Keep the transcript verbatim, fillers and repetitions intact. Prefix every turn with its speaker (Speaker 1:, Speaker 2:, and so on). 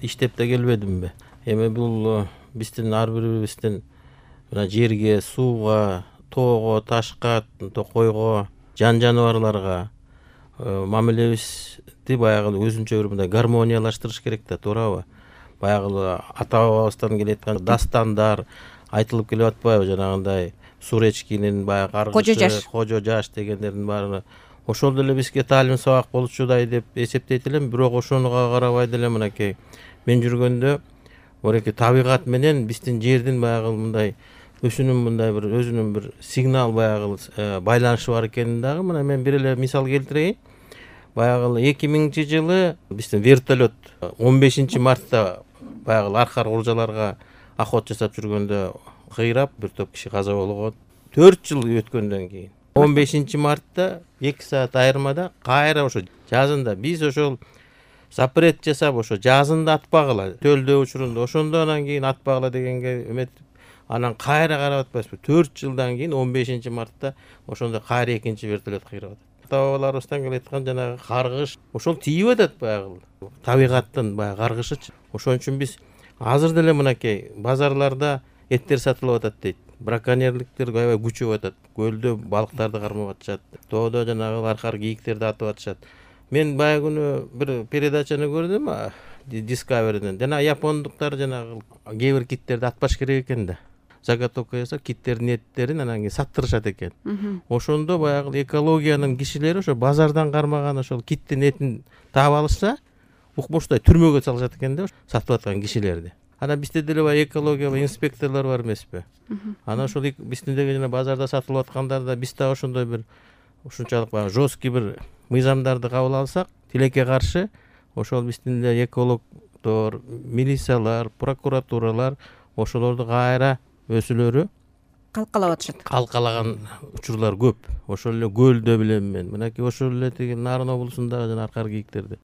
Speaker 1: иштеп да келбедимби? Эми бул биздин ар бирибиздин мына жерге, сууга, тоого, ташка, койго, жан жаныбарларга мамилебизди баягы өзүнчө бир мындай гармониялаштырыш керек да, туурабы? Баягы ата бабабыздан келаткан дастандар айтылып келип атпайбы, жанагындай Суречкинин баягы каргышы, Кожо жаш дегендердин баары ошол деле бизге таалим сабак болчудай деп эсептейт элем. Бирок ошонуга карабай деле мынакей мен жүргөндө мынакей табигат менен биздин жердин баягы мындай өзүнүн мындай бир өзүнүн бир сигнал баягы байланышы бар экенин дагы мына мен бир эле мисал келтирейин. Баягы эки миңинчи жылы биздин вертолет он бешинчи мартта баягы аркар куржаларга охота жасап жүргөндө кыйрап бир топ киши каза болгон. төрт жыл өткөндөн кийин он бешинчи мартта эки саат айырмада кайра ошо жазында биз ошол запрет жасап ошо жазында атпагыла төлдөө учурунда ошондо анан кийин атпагыла дегенге эметип анан кайра карап атпайсызбы? төрт жылдан кийин он бешинчи мартта ошондо кайра экинчи вертолет кыйрап атат. Ата бабаларыбыздан келаткан жанагы каргыш ошол тийип атат баягы табигаттын баягы каргышычы. Ошон үчүн биз азыр деле мынакей базарларда эттер сатылып атат дейт. Браконьерликтер аябай күчөп атат. Көлдө балыктарды кармап атышат. Тоодо жанагы аркар кийиктерди атып атышат. Мен баягы күнү бир передачаны көрдүм Discovery'ден. Жана япондуктар жанагы кээ бир киттерди атпаш керек экен да. Заготовка жасап киттердин эттерин анан кийин саттырышат экен. Ошондо баягы экологиянын кишилери ошо базардан кармаган ошол киттин этин таап алышса, укмуштай түрмөгө салышат экен да сатып аткан кишилерди. Анан бизде деле баягы экология инспекторлор бар эмеспи? Анан ошол биздин деген жана базарда сатылып аткандар да биз да ошондой бир ушунчалык баягы жесткий бир мыйзамдарды кабыл алсак, тилекке каршы ошол биздин эле экологдор, милициялар, прокуратуралар ошолорду кайра өзүлөрү
Speaker 2: калкалап атышат.
Speaker 1: Калкалаган учурлар көп. Ошол эле көлдө билем мен. Мынакей ошол эле тиги Нарын облусундагы жана аркар кийиктерди.